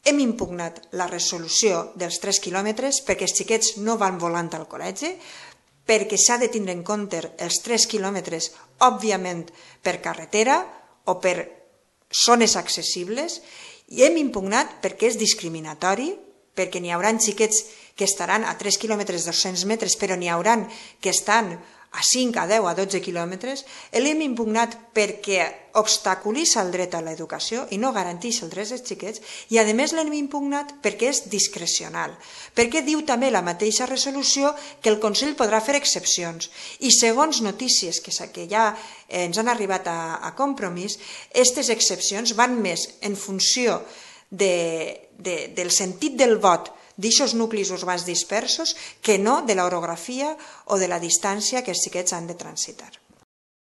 Hem impugnat la resolució dels 3 quilòmetres perquè els xiquets no van volant al col·legi, perquè s'ha de tindre en compte els 3 quilòmetres, òbviament, per carretera o per zones accessibles, i hem impugnat perquè és discriminatori, perquè n'hi haurà xiquets que estaran a 3 quilòmetres 200 metres, però n'hi haurà que estan a 5, a 10, a 12 quilòmetres. L'hem impugnat perquè obstaculitza el dret a l'educació i no garanteix els drets dels xiquets, i a més l'hem impugnat perquè és discrecional, perquè diu també la mateixa resolució que el Consell podrà fer excepcions, i segons notícies que ja ens han arribat a Compromís, aquestes excepcions van més en funció del sentit del vot d'aixòs nuclis urbans dispersos que no de l'orografia o de la distància que els xiquets han de transitar.